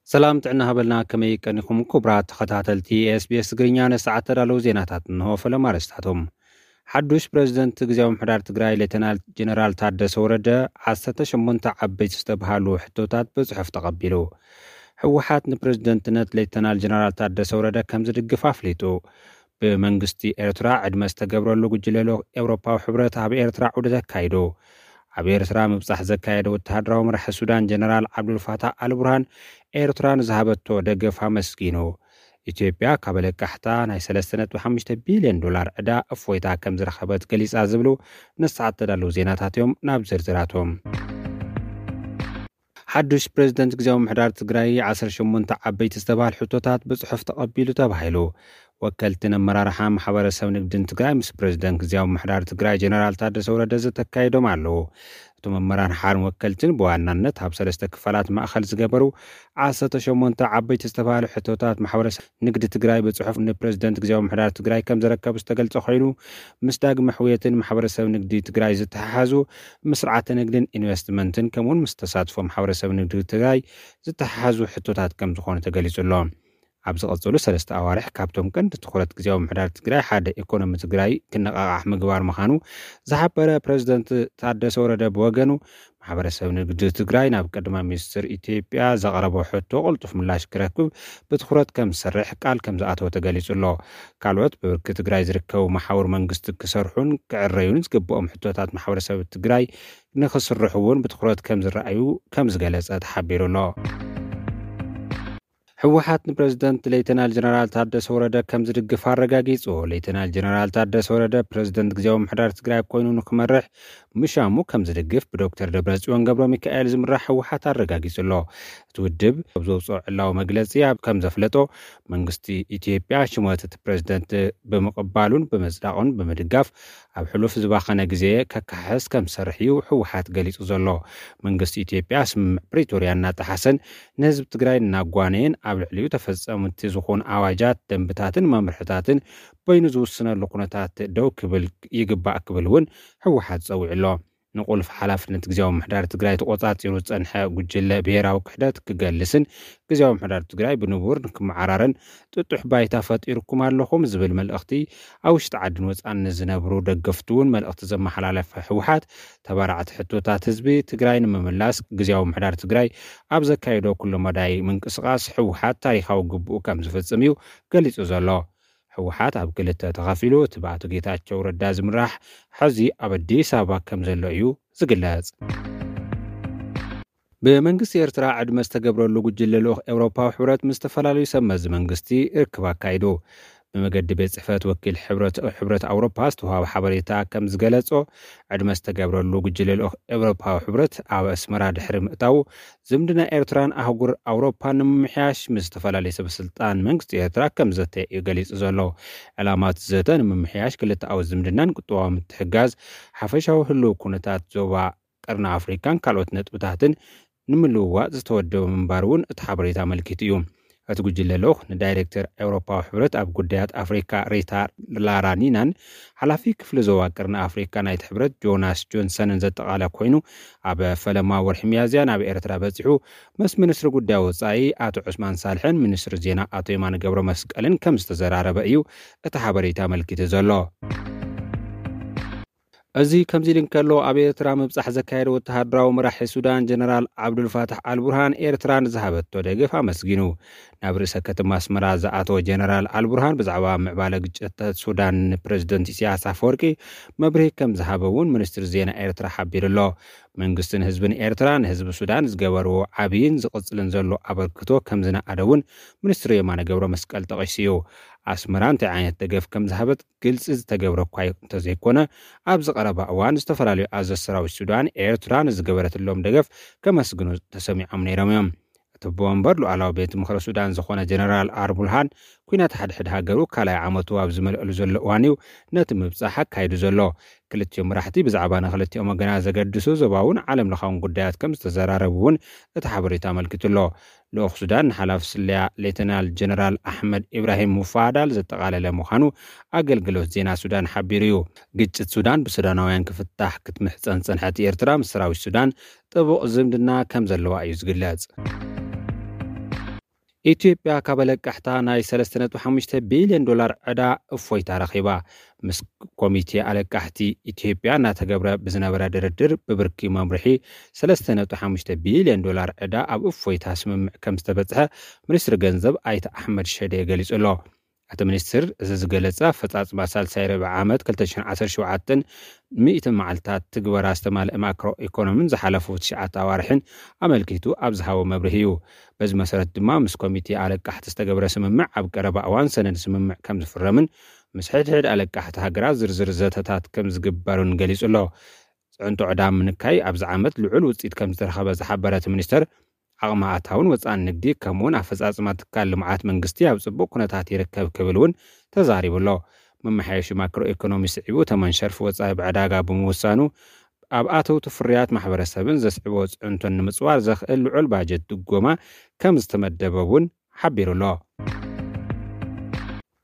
ሰላም ጥዕና ሃበልና፣ ከመይ ቀኒኹም ክቡራት ተኸታተልቲ ኤስቢኤስ ትግርኛ? ንሰዓት ተዳለዉ ዜናታት እንሆ። ፈለማ ኣርእስታቶም። ሓዱሽ ፕሬዝደንት ግዝያዊ ምሕዳር ትግራይ ሌተናል ጀነራል ታደሰ ወረደ ዓሰርተ ሸሞንተ ዓበይቲ ዝተብሃሉ ሕቶታት ብጽሑፍ ተቐቢሉ። ህወሓት ንፕሬዝደንትነት ሌተናል ጀነራል ታደሰ ወረደ ከም ዝድግፍ ኣፍሊጡ። ብመንግስቲ ኤርትራ ዕድመ ዝተገብረሉ ጉጅለ ልኡኽ ኤውሮፓዊ ሕብረት ኣብ ኤርትራ ዑደት ኣካይዱ። ኣብ ኤርትራ ምብጻሕ ዘካየደ ወተሃደራዊ መራሒ ሱዳን ጀነራል ዓብዱልፋታሕ ኣልቡርሃን ኤርትራ ንዝሃበቶ ደገፍ ኣመስጊኑ። ኢትዮጵያ ካብ ለቃሕታ ናይ ሰለስተ ነጥቢ ሓሙሽተ ቢልዮን ዶላር ዕዳ እፎይታ ከም ዝረኸበት ገሊጻ ዝብሉ ንሰዓት ተዳለዉ ዜናታት እዮም። ናብ ዝርዝራቶም። ሓዱሽ ፕሬዝደንት ግዝያዊ ምሕዳር ትግራይ ዓሰርተ ሸሞንተ ዓበይቲ ዝተባህል ሕቶታት ብጽሑፍ ተቐቢሉ ተባሂሉ። ወከልትን ኣመራርሓ ማሕበረሰብ ንግድን ትግራይ ምስ ፕሬዝደንት ግዝያዊ ምሕዳር ትግራይ ጀነራል ታደሰ ወረደ ዘተካይዶም ኣለዉ። እቶም ኣመራርሓን ወከልትን ብዋናነት ኣብ ሰለስተ ክፋላት ማእኸል ዝገበሩ ዓሰርተ ሸሞንተ ዓበይቲ ዝተባህሉ ሕቶታት ማሕበረሰብ ንግዲ ትግራይ ብጽሑፍ ንፕሬዝደንት ግዝያዊ ምሕዳር ትግራይ ከም ዘረከቡ ዝተገልጸ ኮይኑ፣ ምስ ዳግመ ሕውየትን ማሕበረሰብ ንግዲ ትግራይ ዝተሓሓዙ ምስ ስርዓተ ንግድን ኢንቨስትመንትን ከምኡውን ምስ ተሳትፎ ማሕበረሰብ ንግዲ ትግራይ ዝተሓሓዙ ሕቶታት ከም ዝኾኑ ተገሊጹ ኣሎ። ኣብ ዝቐጸሉ ሰለስተ ኣዋርሕ ካብቶም ቀንዲ ትኹረት ግዝያዊ ምሕዳር ትግራይ ሓደ ኢኮኖሚ ትግራይ ክነቓቓሕ ምግባር ምዃኑ ዝሓበረ ፕሬዝደንት ታደሰ ወረደ ብወገኑ፣ ማሕበረሰብ ንግዲ ትግራይ ናብ ቀዳማይ ሚኒስትር ኢትዮጵያ ዘቕረቦ ሕቶ ቅልጡፍ ምላሽ ክረክብ ብትኹረት ከም ዝሰርሕ ቃል ከም ዝኣተወ ተገሊጹ ኣሎ። ካልኦት ብብርኪ ትግራይ ዝርከቡ መሓውር መንግስቲ ክሰርሑን ክዕረዩን ዝግብኦም ሕቶታት ማሕበረሰብ ትግራይ ንክስርሑ እውን ብትኹረት ከም ዝረኣዩ ከም ዝገለጸ ተሓቢሩ ኣሎ። ህወሓት ንፕሬዝደንት ሌተናል ጀነራል ታደሰ ወረደ ከም ዝድግፍ ኣረጋጊጹ። ሌተናል ጀነራል ታደሰ ወረደ ፕሬዝደንት ግዝያዊ ምሕዳር ትግራይ ኮይኑ ንክመርሕ ምሻሙ ከም ዝድግፍ ብዶክተር ደብረጽዮን ገብረ ሚካኤል ዝምራሕ ህወሓት ኣረጋጊጹ ኣሎ። እቲ ውድብ ኣብ ዘውፅኦ ዕላዊ መግለጺ ኣብ ከም ዘፍለጦ፣ መንግስቲ ኢትዮጵያ ሽመት እቲ ፕሬዝደንት ብምቕባሉን ብምጽዳቑን ብምድጋፍ ኣብ ሕሉፍ ዝባኸነ ግዜ ከካሕስ ከም ዝሰርሕ እዩ ህወሓት ገሊጹ ዘሎ። መንግስቲ ኢትዮጵያ ስምምዕ ፕሪቶርያ እናጠሓሰን ንህዝቢ ትግራይ እናጓነየን ኣብ ልዕሊኡ ተፈጸምቲ ዝኾኑ ኣዋጃት፣ ደንብታትን መምርሕታትን በይኑ ዝውስነሉ ኩነታት ደው ክብል ይግባእ ክብል እውን ህወሓት ጸዊዑ ኣሎ። ንቁልፍ ሓላፍነት ግዝያዊ ምሕዳር ትግራይ ተቆጻጺሩ ዝጸንሐ ጉጅለ ብሄራዊ ክሕደት ክገልስን ግዝያዊ ምሕዳር ትግራይ ብንቡር ንክመዓራረን ጥጡሕ ባይታ ፈጢርኩም ኣለኹም ዝብል መልእኽቲ ኣብ ውሽጢ ዓድን ወጻን ንዝነብሩ ደገፍቱ እውን መልእኽቲ ዘመሓላለፈ ህወሓት፣ ተባራዕቲ ሕቶታት ህዝቢ ትግራይ ንምምላስ ግዝያዊ ምሕዳር ትግራይ ኣብ ዘካየዶ ኩሉ መዳይ ምንቅስቓስ ህወሓት ታሪኻዊ ግቡኡ ከም ዝፍጽም እዩ ገሊጹ ዘሎ። ህወሓት ኣብ ክልተ ተኸፊሉ፣ እቲ ብኣቶ ጌታቸው ረዳ ዝምራሕ፣ ሕዚ ኣብ ኣዲስ ኣበባ ከም ዘሎ እዩ ዝግለጽ። ብመንግስቲ ኤርትራ ዕድመ ዝተገብረሉ ጉጅለ ልኡኽ ኤውሮፓዊ ሕብረት ምስ ዝተፈላለዩ ሰብ መዚ መንግስቲ ርክብ ኣካይዱ። ብመገዲ ቤት ጽሕፈት ወኪል ሕብረት፣ ሕብረት ኣውሮፓ ዝተዋሃበ ሓበሬታ ከም ዝገለጾ፣ ዕድመ ዝተገብረሉ ጉጅለ ልኡኽ ኤውሮፓዊ ሕብረት ኣብ ኣስመራ ድሕሪ ምእታዉ፣ ዝምድና ኤርትራን ኣህጉር ኣውሮፓን ንምምሕያሽ ምስ ዝተፈላለዩ ሰበስልጣን መንግስቲ ኤርትራ ከም ዘተ እዩ ገሊጹ ዘሎ። ዕላማ እቲ ዘተ ንምምሕያሽ ክልተኣዊ ዝምድናን ቁጠባዊ ምትሕግጋዝ፣ ሓፈሻዊ ህልው ኩነታት ዞባ ቀርኒ ኣፍሪካን ካልኦት ነጥብታትን ንምልውዋጥ ዝተወደበ ምንባር እውን እቲ ሓበሬታ ኣመልኪቱ እዩ። እቲ ጉጅለ ልኡኽ ንዳይሬክተር ኤውሮፓዊ ሕብረት ኣብ ጉዳያት ኣፍሪካ ሪታ ላራኒናን ሓላፊ ክፍሊ ዞባ ቀርኒ ኣፍሪካ ናይቲ ሕብረት ጆናስ ጆንሰንን ዘጠቓለ ኮይኑ፣ ኣብ ፈለማ ወርሒ ሚያዝያ ናብ ኤርትራ በጺሑ ምስ ሚኒስትሪ ጉዳይ ወጻኢ ኣቶ ዑስማን ሳልሕን ሚኒስትሪ ዜና ኣቶ የማነ ገብረ መስቀልን ከም ዝተዘራረበ እዩ እቲ ሓበሬታ ኣመልኪቱ ዘሎ። እዚ ከምዚ ኢሉ እንከሎ፣ ኣብ ኤርትራ ምብጻሕ ዘካየደ ወተሃደራዊ መራሒ ሱዳን ጀነራል ዓብዱልፋታሕ ኣልቡርሃን ኤርትራ ንዝሃበቶ ደገፍ ኣመስጊኑ። ናብ ርእሰ ከተማ ኣስመራ ዝኣተወ ጀነራል ኣልቡርሃን ብዛዕባ ምዕባለ ግጭታት ሱዳን ንፕረዚደንት ኢሳያስ ኣፈወርቂ መብርሂ ከም ዝሃበ እውን ሚኒስትሪ ዜና ኤርትራ ሓቢሩ ኣሎ። መንግስትን ህዝብን ኤርትራ ንህዝቢ ሱዳን ዝገበርዎ ዓብይን ዝቕጽልን ዘሎ ኣበርክቶ ከም ዝነኣደ እውን ሚኒስትሪ የማነ ገብረ መስቀል ጠቒሱ እዩ። ኣስመራ እንታይ ዓይነት ደገፍ ከም ዝሃበት ግልጺ ዝተገብረ እኳ እንተዘይኮነ፣ ኣብዚ ቀረባ እዋን ዝተፈላለዩ ኣዘዝቲ ሰራዊት ሱዳን ኤርትራ ንዝገበረትሎም ደገፍ ከመስግኑ ተሰሚዖም ነይሮም እዮም። እቲ ኣቦ ወንበር ሉዓላዊ ቤት ምኽሪ ሱዳን ዝኾነ ጀነራል ኣልቡርሃን፣ ኲናት ሓድሕድ ሃገሩ ካልኣይ ዓመቱ ኣብ ዝመልአሉ ዘሎ እዋን እዩ ነቲ ምብጻሕ ኣካይዱ ዘሎ። ክልቲኦም መራሕቲ ብዛዕባ ንክልቲኦም ወገናት ዘገድሱ ዞባውን ዓለም ለኻውን ጉዳያት ከም ዝተዘራረቡ እውን እቲ ሓበሬታ ኣመልኪቱ ኣሎ። ልኡኽ ሱዳን ንሓላፊ ስለያ ሌተናል ጀነራል ኣሕመድ ኢብራሂም ሙፋዳል ዘጠቓለለ ምዃኑ ኣገልግሎት ዜና ሱዳን ሓቢሩ እዩ። ግጭት ሱዳን ብሱዳናውያን ክፍታሕ ክትምሕጸን ዝጸንሐት ኤርትራ ምስ ሰራዊት ሱዳን ጥቡቕ ዝምድና ከም ዘለዋ እዩ ዝግለጽ። ኢትዮጵያ ካብ ኣለቃሕታ ናይ ሰለስተ ነጥቢ ሓሙሽተ ቢልዮን ዶላር ዕዳ እፎይታ ረኺባ። ምስ ኮሚቴ ኣለቃሕቲ ኢትዮጵያ እናተገብረ ብዝነበረ ድርድር ብብርኪ መምርሒ ሰለስተ ነጥቢ ሓሙሽተ ቢልዮን ዶላር ዕዳ ኣብ እፎይታ ስምምዕ ከም ዝተበጽሐ ሚኒስትሪ ገንዘብ ኣይተ ኣሕመድ ሸዴ ገሊጹ ኣሎ። እቲ ሚኒስትር እዚ ዝገለጸ ኣፈጻጽማ ሳልሳይ ርብዒ ዓመት ክልተ ሽሕን ዓሰርተ ሸውዓተን ሚእቲ መዓልታት ትግበራ ዝተማልአ ማክሮ ኢኮኖሚን ዝሓለፉ ትሽዓተ ኣዋርሕን ኣመልኪቱ ኣብ ዝሃቦ መብርሂ እዩ። በዚ መሰረት ድማ ምስ ኮሚቴ ኣለቃሕቲ ዝተገብረ ስምምዕ ኣብ ቀረባ እዋን ሰነድ ስምምዕ ከም ዝፍረምን ምስ ሕድሕድ ኣለቃሕቲ ሃገራት ዝርዝር ዘተታት ከም ዝግበሩን ገሊጹ ኣሎ። ጽዕንቶ ዕዳ ምንካይ ኣብዚ ዓመት ልዑል ውጽኢት ከም ዝተረኸበ ዝሓበረ እቲ ሚኒስተር ዓቕሚ ኣታውን ወጻእን ንግዲ ከምኡውን ኣፈጻጽማ ትካል ልምዓት መንግስቲ ኣብ ጽቡቕ ኩነታት ይርከብ ክብል እውን ተዛሪቡ ኣሎ። መመሓየሺ ማክሮ ኢኮኖሚ ስዒቡ ተመን ሸርፊ ወጻኢ ብዕዳጋ ብምውሳኑ ኣብ ኣተውቲ ፍርያት ማሕበረሰብን ዘስዕቦ ጽዕንቶን ንምጽዋር ዘኽእል ልዑል ባጀት ድጎማ ከም ዝተመደበ እውን ሓቢሩ ኣሎ።